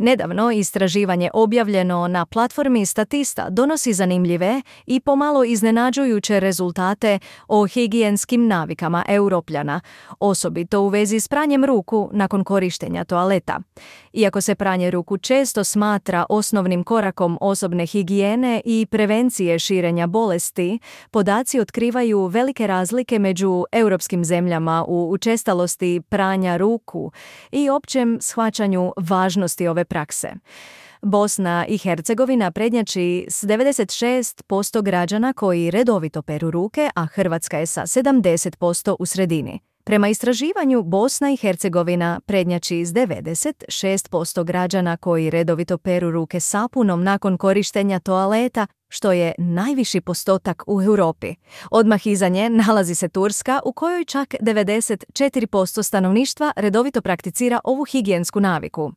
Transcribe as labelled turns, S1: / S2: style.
S1: Nedavno istraživanje objavljeno na platformi Statista donosi zanimljive i pomalo iznenađujuće rezultate o higijenskim navikama Europljana, osobito u vezi s pranjem ruku nakon korištenja toaleta. Iako se pranje ruku često smatra osnovnim korakom osobne higijene i prevencije širenja bolesti, podaci otkrivaju velike razlike među europskim zemljama u učestalosti pranja ruku i općem shvaćanju važnosti ove prakse. Bosna i Hercegovina prednjači s 96% građana koji redovito peru ruke, a Hrvatska je sa 70% u sredini. Prema istraživanju, Bosna i Hercegovina prednjači s 96% građana koji redovito peru ruke sapunom nakon korištenja toaleta, što je najviši postotak u Europi. Odmah iza nje nalazi se Turska, u kojoj čak 94% stanovništva redovito prakticira ovu higijensku naviku.